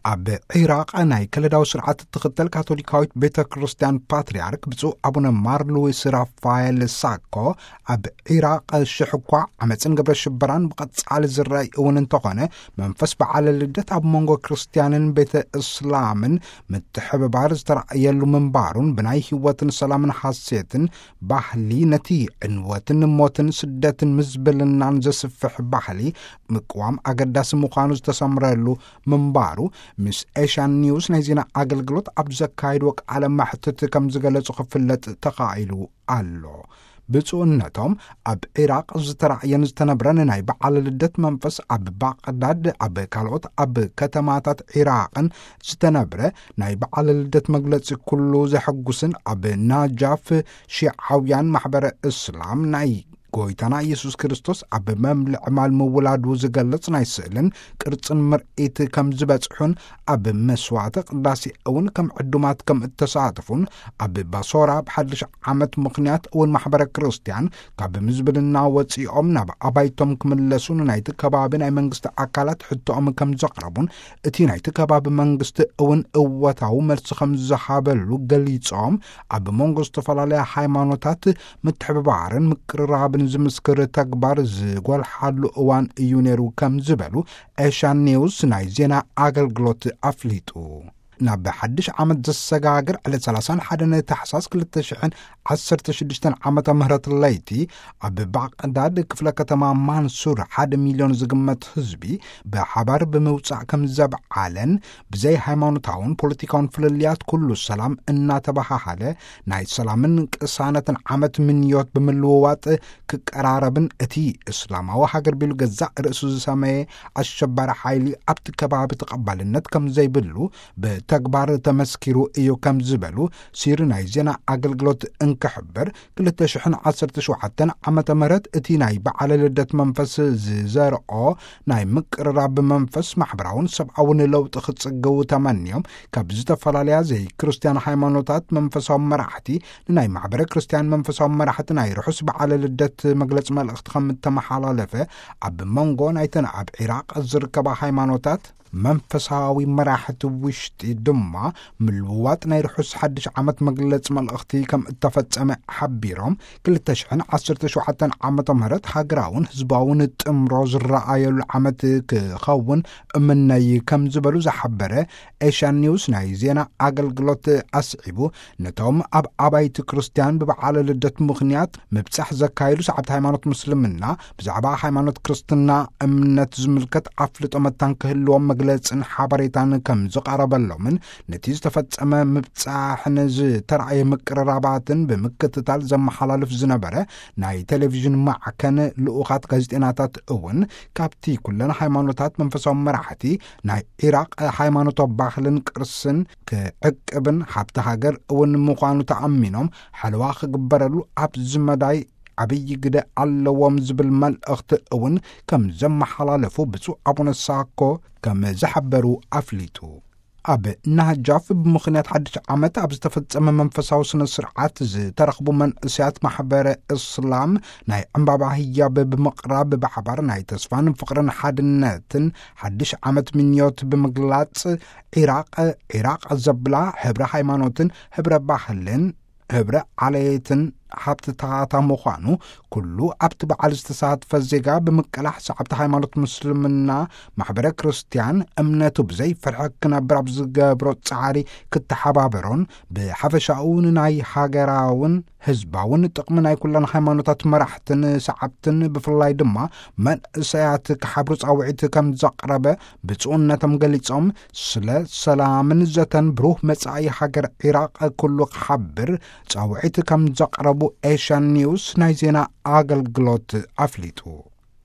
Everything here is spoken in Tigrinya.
ኣብ ዒራቕ ናይ ከለዳዊ ስርዓት እትኽተል ካቶሊካዊት ቤተ ክርስቲያን ፓትርያርክ ብፁዕ ኣቡነ ማር ሉዊስ ራፋኤል ሳኮ፣ ኣብ ዒራቕ ሽሕ እኳ ዓመፅን ግብረ ሽበራን ብቐጻሊ ዝረኣይ እውን እንተኾነ፣ መንፈስ በዓለ ልደት ኣብ መንጎ ክርስቲያንን ቤተ እስላምን ምትሕብባር ዝተራእየሉ ምንባሩን ብናይ ህይወትን ሰላምን ሓሴትን ባህሊ ነቲ ዕንወትን ሞትን ስደትን ምዝብልናን ዘስፍሕ ባህሊ ምቅዋም ኣገዳሲ ምዃኑ ዝተሰምረሉ ምንባሩ ምስ ኤሽያን ኒውስ ናይ ዜና ኣገልግሎት ኣብ ዘካየድዎ ቃለ መሕትት ከም ዝገለጹ ክፍለጥ ተኻኢሉ ኣሎ። ብፁዕነቶም ኣብ ዒራቕ ዝተራእየን ዝተነብረን ናይ በዓለ ልደት መንፈስ ኣብ ባቕዳድ ኣብ ካልኦት ኣብ ከተማታት ዒራቕን ዝተነብረ ናይ በዓለ ልደት መግለጺ ኩሉ ዘሐጉስን ኣብ ናጃፍ ሺዓውያን ማሕበረ እስላም ናይ ጎይታና ኢየሱስ ክርስቶስ ኣብ መምልዕ ማል ምውላዱ ዝገልጽ ናይ ስእልን ቅርጽን ምርኢት ከም ዝበጽሑን ኣብ መስዋዕተ ቅዳሴ እውን ከም ዕዱማት ከም እተሳተፉን ኣብ ባሶራ ብሓድሽ ዓመት ምኽንያት እውን ማሕበረ ክርስቲያን ካብ ምዝብልና ወጺኦም ናብ ኣባይቶም ክምለሱን ናይቲ ከባቢ ናይ መንግስቲ ኣካላት ሕቶኦም ከም ዘቕረቡን እቲ ናይቲ ከባቢ መንግስቲ እውን እወታዊ መልሲ ከም ዝሃበሉ ገሊጾም፣ ኣብ መንጎ ዝተፈላለያ ሃይማኖታት ምትሕብባርን ምቅርራብን ዝምስክር ተግባር ዝጎልሓሉ እዋን እዩ ነይሩ ከም ዝበሉ ኤሽያን ኒውስ ናይ ዜና ኣገልግሎት ኣፍሊጡ። ናብ ሓድሽ ዓመት ዘሰጋግር ዕለት ሰላሳን ሓደን ታሕሳስ ክልተ ሽሕን ዓሰርተ ሽዱሽተን ዓመተ ምህረት ለይቲ ኣብ ባቕዳድ ክፍለ ከተማ ማንሱር ሓደ ሚልዮን ዝግመት ህዝቢ ብሓባር ብምውጻእ ከም ዘብዓለን፣ ብዘይ ሃይማኖታውን ፖለቲካውን ፍልልያት ኩሉ ሰላም እናተበሃሃለ ናይ ሰላምን ቅሳነትን ዓመት ምንዮት ብምልውዋጥ ክቀራረብን እቲ እስላማዊ ሃገር ቢሉ ገዛእ ርእሱ ዝሰመየ ኣሸባሪ ሓይሊ ኣብቲ ከባቢ ተቐባልነት ከም ዘይብሉ ብተግባር ተመስኪሩ እዩ ከም ዝበሉ ሲሪ ናይ ዜና ኣገልግሎት እንክሕብር፣ ክልተ ሽሕን ዓሰርተ ሸውዓተን ዓመተ ምህረት እቲ ናይ በዓለ ልደት መንፈስ ዝዘርኦ ናይ ምቅርራብ መንፈስ ማሕበራውን ሰብኣውን ለውጢ ክጽገው ተመንዮም ካብ ዝተፈላለያ ዘይክርስቲያን ሃይማኖታት መንፈሳዊ መራሕቲ ንናይ ማሕበረ ክርስቲያን መንፈሳዊ መራሕቲ ናይ ርሑስ በዓለ ልደት መግለጺ መልእኽቲ ከም እተመሓላለፈ፣ ኣብ መንጎ ናይተን ኣብ ዒራቕ ዝርከባ ሃይማኖታት መንፈሳዊ መራሕቲ ውሽጢ ድማ ምልውዋጥ ናይ ርሑስ ሓድሽ ዓመት መግለጺ መልእኽቲ ከም እተፈጸመ ሓቢሮም፣ ክልተ ሽሕን ዓሰርተ ሸውዓተን ዓመተ ምህረት ሃገራውን ህዝባውን ጥምሮ ዝረኣየሉ ዓመት ክኸውን እምነይ ከም ዝበሉ ዝሓበረ ኤሽያን ኒውስ ናይ ዜና ኣገልግሎት ኣስዒቡ፣ ነቶም ኣብ ኣባይቲ ክርስቲያን ብበዓለ ልደት ምኽንያት ምብጻሕ ዘካየዱ ሰዓብቲ ሃይማኖት ምስልምና ብዛዕባ ሃይማኖት ክርስትና እምነት ዝምልከት ኣፍልጦ መታን ክህልዎም መግለጽን ሓበሬታን ከም ዝቐረበሎምን ነቲ ዝተፈጸመ ምብጻሕን ዝተራእየ ምቅርራባትን ብምክትታል ዘመሓላልፍ ዝነበረ ናይ ቴሌቪዥን ማዕከን ልኡኻት ጋዜጠኛታት እውን ካብቲ ኩለን ሃይማኖታት መንፈሳዊ መራሕቲ ናይ ዒራቕ ሃይማኖታዊ ባህልን ቅርስን ክዕቅብን ሃብቲ ሃገር እውን ምዃኑ ተኣሚኖም ሓለዋ ክግበረሉ ኣብዚ መዳይ ዓብዪ ግደ ኣለዎም ዝብል መልእኽቲ እውን ከም ዘመሓላለፉ ብፁዕ ኣቡነ ሳኮ ከም ዝሓበሩ ኣፍሊጡ። ኣብ ናጃፍ ብምኽንያት ሓድሽ ዓመት ኣብ ዝተፈጸመ መንፈሳዊ ስነ ስርዓት ዝተረኽቡ መንእሰያት ማሕበረ እስላም ናይ ዕምባባ ህያብ ብምቕራብ ብሓባር ናይ ተስፋን ፍቕርን ሓድነትን ሓድሽ ዓመት ምንዮት ብምግላጽ፣ ዒራቕ ዒራቕ ዘብላ ህብረ ሃይማኖትን ህብረ ባህልን ህብረ ዓሌትን ሃብትታታ ምዃኑ፣ ኩሉ ኣብቲ በዓል ዝተሳትፈ ዜጋ ብምቅላሕ ሰዓብቲ ሃይማኖት ምስልምና ማሕበረ ክርስቲያን እምነቱ ብዘይ ፍርሒ ክነብር ኣብ ዝገብሮ ጻዕሪ ክተሓባበሮን ብሓፈሻኡ ንናይ ሃገራውን ህዝባውን ጥቕሚ ናይ ኩለን ሃይማኖታት መራሕትን ሰዓብትን ብፍላይ ድማ መንእሰያት ክሓብሩ ጻውዒት ከም ዘቕረበ ብፁዕነቶም ገሊጾም፣ ስለ ሰላምን ዘተን ብሩህ መጻኢ ሃገር ዒራቕ ኩሉ ክሓብር ጻውዒት ከም ዘቕረቡ ኤሽያን ኒውስ ናይ ዜና ኣገልግሎት ኣፍሊጡ።